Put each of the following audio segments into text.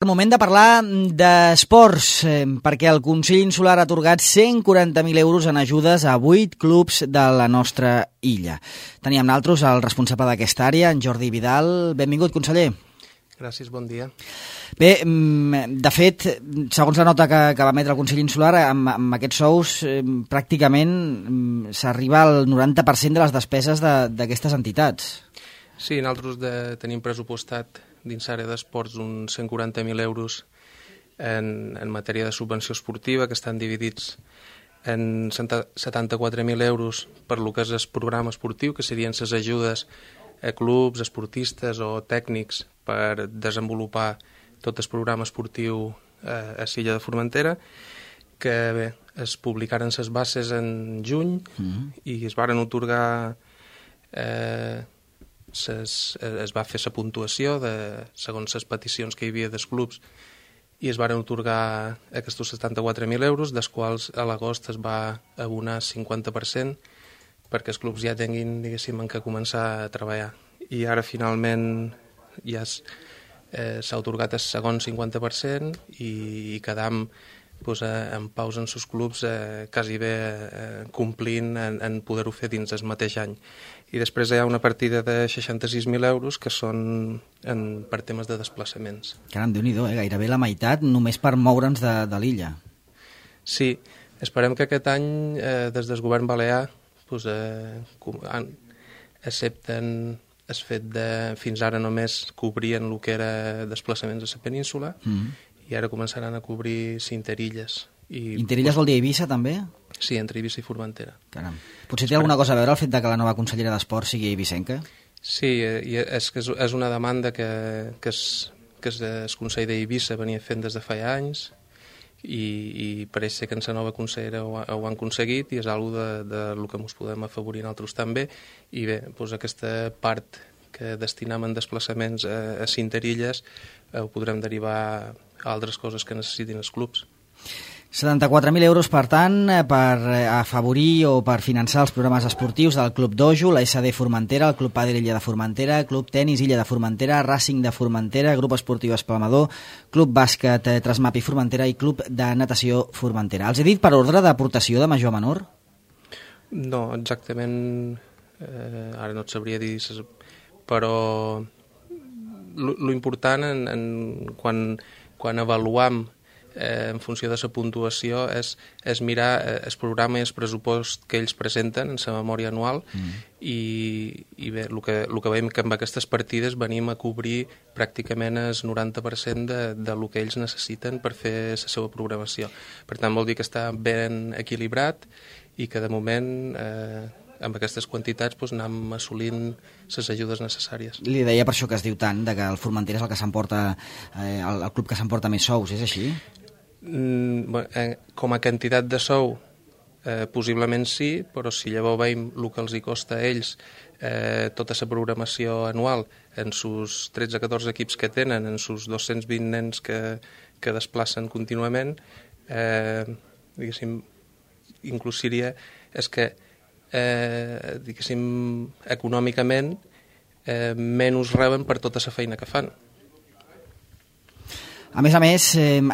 Moment de parlar d'esports, perquè el Consell Insular ha atorgat 140.000 euros en ajudes a 8 clubs de la nostra illa. Teníem nosaltres el responsable d'aquesta àrea, en Jordi Vidal. Benvingut, conseller. Gràcies, bon dia. Bé, de fet, segons la nota que va emetre el Consell Insular, amb aquests sous pràcticament s'arriba al 90% de les despeses d'aquestes entitats. Sí, nosaltres tenim pressupostat dins l'àrea d'esports uns 140.000 euros en matèria de subvenció esportiva, que estan dividits en 74.000 euros per lo que és el programa esportiu, que serien les ajudes a clubs, esportistes o tècnics per desenvolupar tot el programa esportiu a l'illa de Formentera, que bé, es publicaren les bases en juny i es varen atorgar... es va fer la puntuació segons les peticions que hi havia dels clubs i es varen atorgar aquests 74.000 euros, dels quals a l'agost es va abonar 50% perquè els clubs ja tinguin, diguéssim, en què començar a treballar. I ara finalment ja s'ha atorgat el segon 50% i quedam en paus en els clubs quasi bé complint en poder-ho fer dins el mateix any. I després hi ha una partida de 66.000 euros que són per temes de desplaçaments. Caram, Déu-n'hi-do, gairebé la meitat només per moure'ns de l'illa. Sí, esperem que aquest any des del govern balear accepten el fet de fins ara només cobrien el que era desplaçaments a la península i ara començaran a cobrir Interilles. Interilles vol dir Eivissa, també? Sí, entre Eivissa i Formentera. Caram. Potser té alguna cosa a veure el fet que la nova consellera d'Esport sigui eivissenca? Sí, és una demanda que el Consell d'Eivissa venia fent des de feia anys i pareix ser que en la nova consellera ho han aconseguit i és una de lo que ens podem afavorir nosaltres també. I bé, aquesta part que destinam en desplaçaments a Interilles ho podrem derivar a altres coses que necessitin els clubs. 74.000 euros, per tant, per afavorir o per finançar els programes esportius del Club Dojo, la SD Formentera, el Club Pàdel Illa de Formentera, Club Tenis Illa de Formentera, Racing de Formentera, Grup Esportiu Espalmador, Club Bàsquet Trasmapi Formentera i Club de Natació Formentera. Els he dit per ordre d'aportació de major a menor? No, exactament, ara no et sabria dir, però lo important quan avaluam en funció de la puntuació és mirar el programa i el pressupost que ells presenten en la memòria anual i bé, el que veiem que amb aquestes partides venim a cobrir pràcticament el 90% de lo que ells necessiten per fer la seva programació. Per tant, vol dir que està ben equilibrat i que de moment amb aquestes quantitats anem assolint les ajudes necessàries. Li deia per això que es diu tant, que el Formentera és el que s'emporta, el club que s'emporta més sous, és així? Com a quantitat de sou possiblement sí, però si llavors veiem el que els hi costa a ells tota la programació anual en sus 13-14 equips que tenen, en sus 220 nens que desplacen contínuament, diguéssim, inclús seria és que diguéssim, econòmicament menys reben per tota la feina que fan. A més,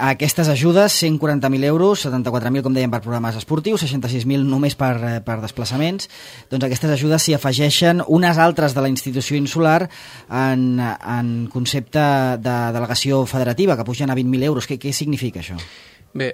aquestes ajudes, 140.000 euros, 74.000, com dèiem, per programes esportius, 66.000 només per desplaçaments, doncs aquestes ajudes s'hi afegeixen unes altres de la institució insular en concepte de delegació federativa, que pugen a 20.000 euros. Què significa això? Bé,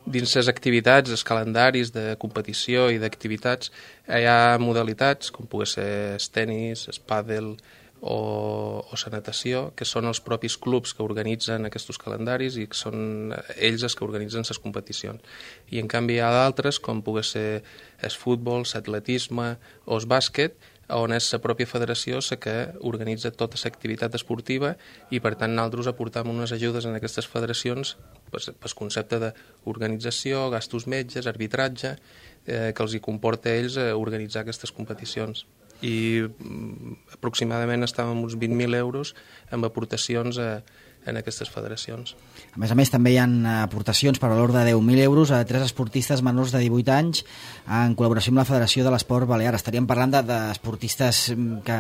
dins les activitats, els calendaris de competició i d'activitats, hi ha modalitats, com pugui ser el tenis, el pàdel o la natació, que són els propis clubs que organitzen aquests calendaris i que són ells els que organitzen les competicions. I en canvi hi ha d'altres, com pugui ser el futbol, l'atletisme o el bàsquet, on és la pròpia federació la que organitza tota l'activitat esportiva i per tant nosaltres aportam unes ajudes en aquestes federacions pel concepte d'organització, gastos metges, arbitratge, que els hi comporta a ells organitzar aquestes competicions. I aproximadament estàvem uns 20.000 euros amb aportacions en aquestes federacions. A més, també hi ha aportacions per valor de 10.000 euros a 3 esportistes menors de 18 anys en col·laboració amb la Federació de l'Esport Balear. Estaríem parlant d'esportistes que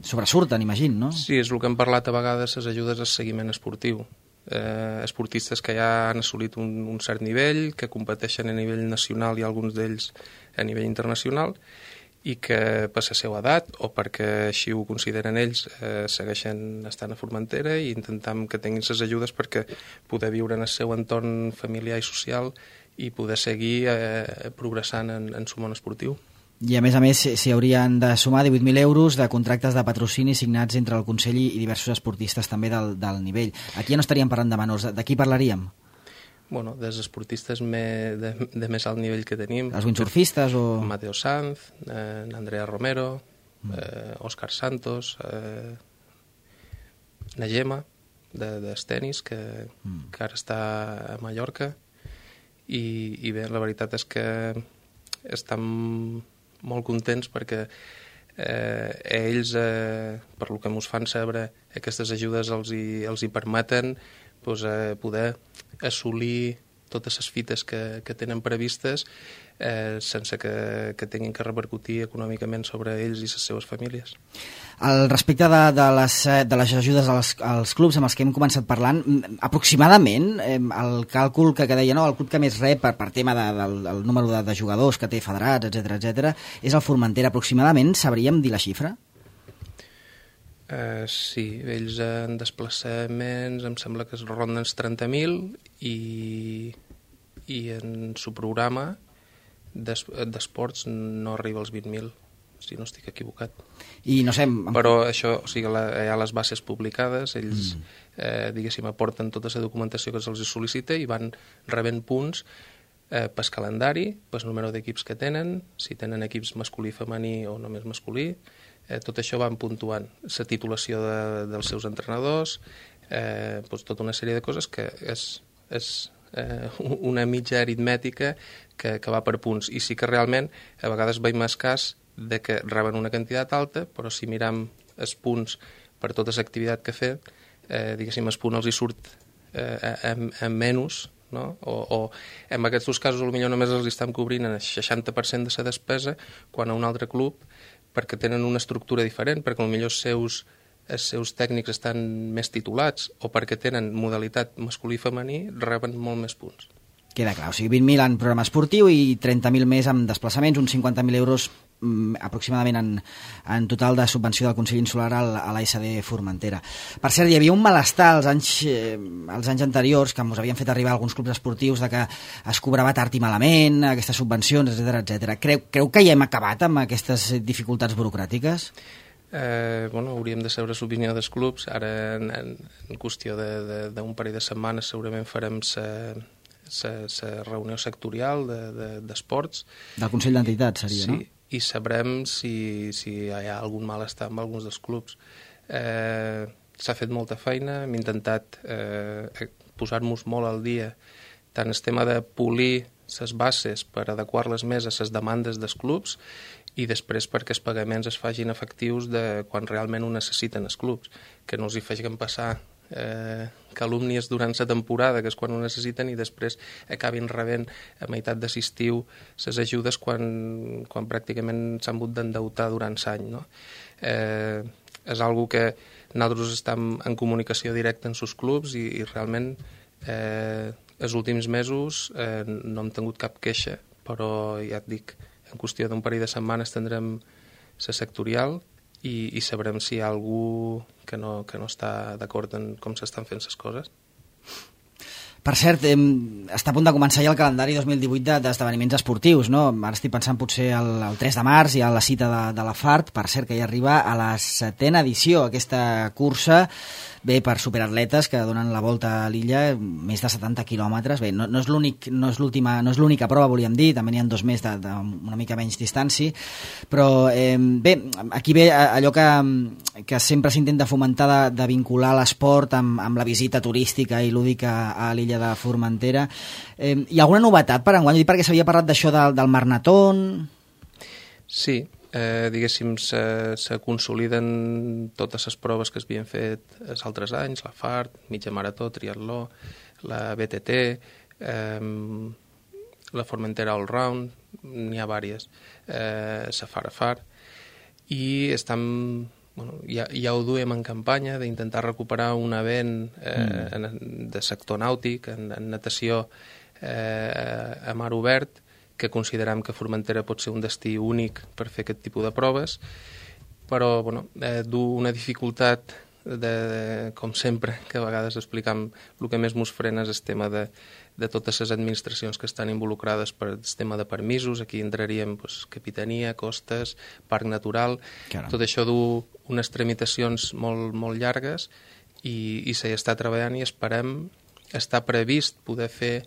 sobresurten, imagino, no? Sí, és el que hem parlat a vegades, les ajudes al seguiment esportiu. Esportistes que ja han assolit un cert nivell, que competeixen a nivell nacional i alguns d'ells a nivell internacional, i que per la seva edat o perquè així ho consideren ells segueixen estant a Formentera i intentam que tinguin les ajudes perquè poder viure en el seu entorn familiar i social i poder seguir progressant en el món esportiu. I a més s'hi haurien de sumar 18.000 euros de contractes de patrocini signats entre el Consell i diversos esportistes també del nivell. Aquí ja no estaríem parlant de menors, de qui parlaríem? Bueno, dels esportistes de més alt nivell que tenim. Els windsurfistes o...? Mateo Sanz, Andrea Romero, Òscar Santos, Najema, dels tenis, que ara està a Mallorca. I bé, la veritat és que estan molt contents perquè ells, per lo que ens fan saber, aquestes ajudes els hi permeten poder assolir totes les fites que tenen previstes sense que tinguin que repercutir econòmicament sobre ells i les seves famílies. Al respecte de les ajudes als clubs amb els que hem començat parlant, aproximadament el càlcul que deia, el club que més rep per tema del número de jugadors que té federats, etc, és el Formentera. Aproximadament sabríem dir la xifra? Sí, ells en desplaçaments em sembla que es ronden els 30.000 i en su programa d'esports no arriba als 20.000, si no estic equivocat. I no sé... Però això, o sigui, hi ha les bases publicades, ells, diguéssim, aporten tota la documentació que se'ls sol·licita i van rebent punts pel calendari, pel número d'equips que tenen, si tenen equips masculí, femení o només masculí, tot això van puntuant. La titulació dels seus entrenadors, tota una sèrie de coses que és una mitja aritmètica que va per punts. I sí que realment a vegades veiem el cas de que reben una quantitat alta, però si miram els punts per tota l'activitat que ha fet, diguéssim, el punt els hi surt en menys, no? O en aquests dos casos potser només els estan cobrint el 60% de la despesa, quan a un altre club, perquè tenen una estructura diferent, perquè potser els seus tècnics estan més titulats o perquè tenen modalitat masculí i femení, reben molt més punts. Queda clar, o sigui, 20.000 en programa esportiu i 30.000 més en desplaçaments, uns 50.000 euros aproximadament en total de subvenció del Consell Insular a l'ASD Formentera. Per cert, hi havia un malestar als anys anteriors que ens havien fet arribar alguns clubs esportius de que es cobrava tard i malament, aquestes subvencions, etc. Creu que ja hem acabat amb aquestes dificultats burocràtiques? Hauríem de saber l'opinió dels clubs. Ara, en qüestió d'un parell de setmanes, segurament farem la reunió sectorial d'esports. Del Consell d'Entitats seria, sí, no? I sabrem si hi ha algun malestar amb alguns dels clubs. S'ha fet molta feina, hem intentat posar-nos molt al dia, tant el tema de polir les bases per adequar-les més a les demandes dels clubs i després perquè els pagaments es facin efectius de quan realment ho necessiten els clubs, que no els hi facin passar calúmnies durant la temporada, que és quan ho necessiten, i després acabin rebent a meitat de l'estiu les ajudes quan pràcticament s'han hagut d'endeutar durant l'any, no? És algo que nosaltres estem en comunicació directa amb els clubs i realment els últims mesos no hem tingut cap queixa, però ja et dic, en qüestió d'un parell de setmanes tindrem la sectorial i sabrem si hi ha algú que no està d'acord en com s'estan fent les coses. Per cert, està a punt de començar ja el calendari 2018 d'esdeveniments esportius, no? Ara estic pensant potser el 3 de març, hi ha la cita de la FART, per cert, que ja arriba a la 7ª edició, aquesta cursa, bé, per superatletes que donen la volta a l'illa, més de 70 quilòmetres. Bé, no és l'única prova, volíem dir, també n'hi ha 2 més d'una mica menys distància, però bé, aquí ve allò que sempre s'intenta fomentar de vincular l'esport amb la visita turística i lúdica a l'illa de Formentera. Hi ha alguna novetat per enguany? Perquè s'havia parlat d'això del Marnatón. Sí, diguéssim, se consoliden totes les proves que s'havien fet els altres anys, la FART, mitja marató, triatló, la BTT, la Formentera All Round, n'hi ha diverses, la Far, i estem, ja ho duem en campanya d'intentar recuperar un event de sector nàutic, en natació a mar obert, que considerem que Formentera pot ser un destí únic per fer aquest tipus de proves, però du una dificultat, com sempre, que a vegades explicam, el que més ens frena és el tema de totes les administracions que estan involucrades per el tema de permisos. Aquí entraríem capitania, costes, parc natural. Caram. Tot això du unes tramitacions molt, molt llargues i s'hi està treballant i esperem, està previst poder fer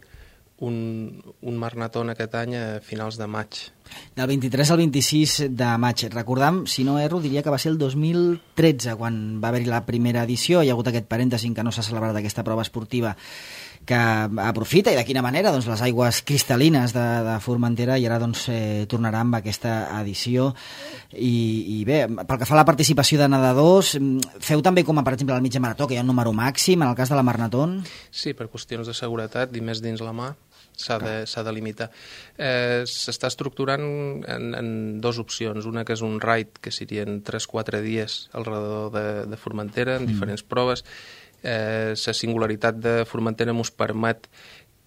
un Marnatón aquest any a finals de maig. Del 23 al 26 de maig. Recordam, si no erro, diria que va ser el 2013 quan va haver-hi la primera edició. Hi ha hagut aquest parèntesi que no s'ha celebrat aquesta prova esportiva que aprofita, i de quina manera, doncs, les aigües cristal·lines de Formentera, i ara tornarà amb aquesta edició. I bé, pel que fa a la participació de nedadors, feu també com, per exemple, al mitja marató, que hi ha un número màxim, en el cas de la Marnatón? Sí, per qüestions de seguretat i més dins la mà s'ha de limitar. S'està estructurant en dues opcions. Una que és un ride, que serien 3-4 dies alrededor de Formentera, en diferents proves. La singularitat de Formentera ens permet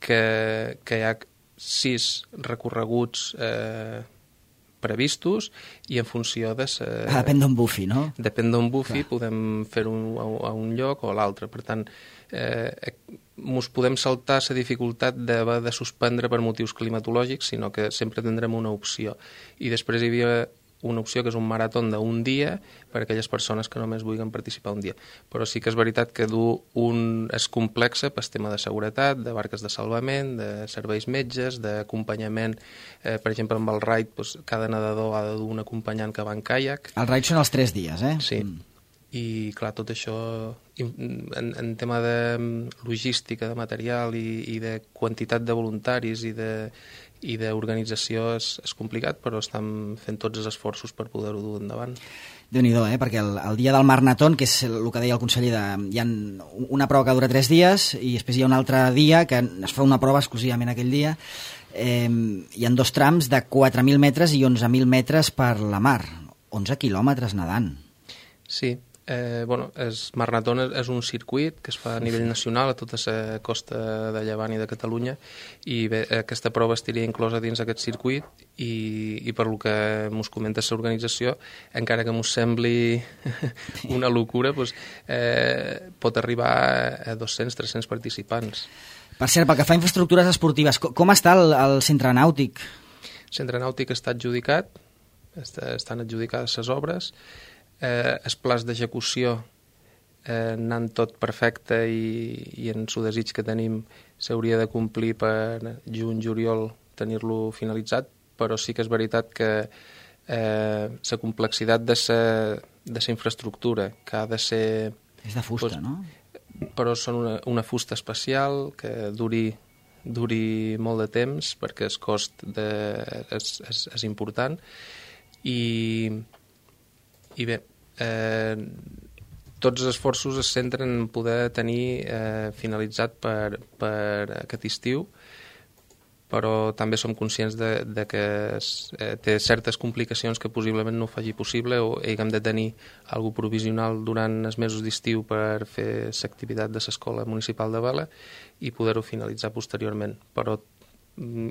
que hi ha 6 recorreguts previstos i en funció de... Depèn d'on bufi, no? Depèn d'on bufi, podem fer-ho a un lloc o a l'altre. Per tant, ens podem saltar la dificultat d'haver de suspendre per motius climatològics, sinó que sempre tindrem una opció. I després hi havia una opció que és un marató d'un dia per a aquelles persones que només vulguin participar un dia. Però sí que és veritat que és complexa pel tema de seguretat, de barques de salvament, de serveis metges, d'acompanyament. Per exemple, amb el raid, cada nedador ha de dur un acompanyant que va en caiac. El raid són els 3 dies, eh? Sí. I, clar, tot això, en tema de logística, de material i de quantitat de voluntaris i d'organització és complicat, però estem fent tots els esforços per poder-ho dur endavant. Déu-n'hi-do, perquè el dia del Marnatón, que és el que deia el conseller, hi ha una prova que dura 3 dies i després hi ha un altre dia que es fa una prova exclusivament aquell dia. Hi ha 2 trams de 4.000 metres i 11.000 metres per la mar. 11 quilòmetres nedant. Sí. El Marnatón és un circuit que es fa a nivell nacional a tota la costa de Llevant i de Catalunya, i bé, aquesta prova estaria inclosa dins aquest circuit i per lo que ens comenta l'organització, encara que ens sembli una locura, pot arribar a 200-300 participants. Per cert, pel que fa a infraestructures esportives, com està el centre nàutic? El centre nàutic està adjudicat, estan adjudicades les obres. El pla d'execució anant tot perfecte i en el desig que tenim s'hauria de complir per juny-juliol tenir-lo finalitzat, però sí que és veritat que la complexitat de la infraestructura, que ha de ser... És de fusta, no? Però són una fusta especial que duri molt de temps, perquè el cost és important, i bé, tots els esforços es centren en poder tenir finalitzat per aquest estiu, però també som conscients de que té certes complicacions que possiblement no ho faci possible, o haguem de tenir alguna provisional durant els mesos d'estiu per fer l'activitat de l'Escola Municipal de Vela i poder-ho finalitzar posteriorment, però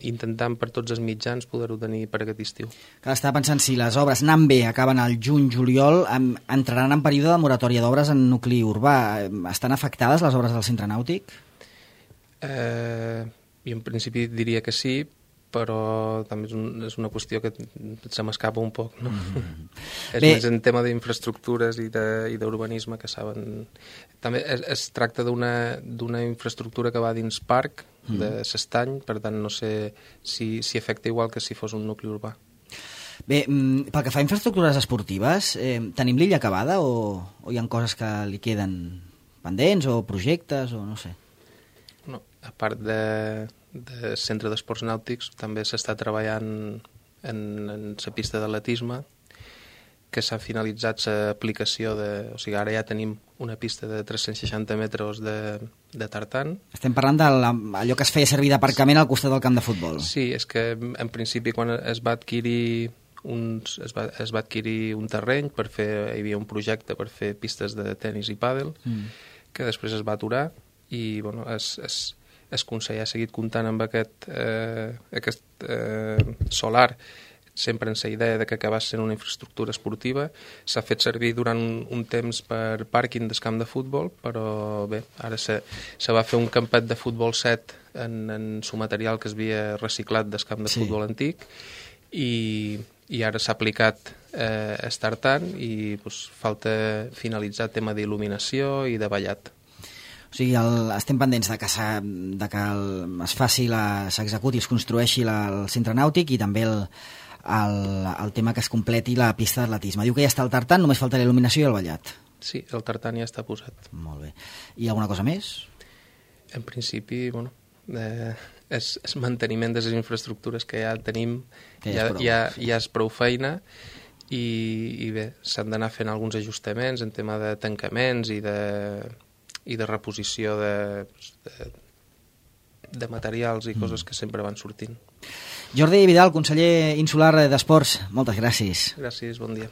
intentant per tots els mitjans poder-ho tenir per aquest estiu. Estava pensant, si les obres anant bé acaben al juny-juliol, entraran en període de moratòria d'obres en nucli urbà. Estan afectades les obres del centre nàutic? Jo en principi diria que sí, però també és una qüestió que se m'escapa un poc, no? És més en tema d'infraestructures i d'urbanisme, que saben... També es tracta d'una infraestructura que va dins parc de l'Estany, per tant no sé si afecta igual que si fos un nucli urbà. Bé, pel que fa a infraestructures esportives, tenim l'illa acabada o hi ha coses que li queden pendents o projectes o no sé? No, a part de centre d'esports nàutics també s'està treballant en la pista d'atletisme que s'ha finalitzat l'aplicació o sigui, ara ja tenim una pista de 360 metres de tartan. Estem parlant d'allò que es feia servir d'aparcament al costat del camp de futbol. Sí, és que en principi quan es va adquirir un terreny per fer, hi havia un projecte per fer pistes de tenis i pàdel, que després es va aturar i bueno, es Consell ha seguit comptant amb aquest solar sempre en la idea de que acabés sent una infraestructura esportiva. S'ha fet servir durant un temps per pàrquing del camp de futbol, però bé, ara se va fer un campet de futbol 7 en su material que es havia reciclat del camp de futbol antic i ara s'ha aplicat tartan i pues, falta finalitzar el tema d'il·luminació i de ballat. O sigui, estem pendents de que es faci, s'executi, es construeixi el centre nàutic i també el tema que es completi la pista d'atletisme. Diu que ja està el tartan, només falta la il·luminació i el ballat. Sí, el tartan ja està posat. Molt bé. I alguna cosa més? En principi, bueno, és manteniment de les infraestructures que ja tenim, ja és prou feina i bé, s'han d'anar fent alguns ajustaments en tema de tancaments i de reposició de materials i coses que sempre van sortint. Jordi Vidal, conseller insular d'Esports, moltes gràcies. Gràcies, bon dia.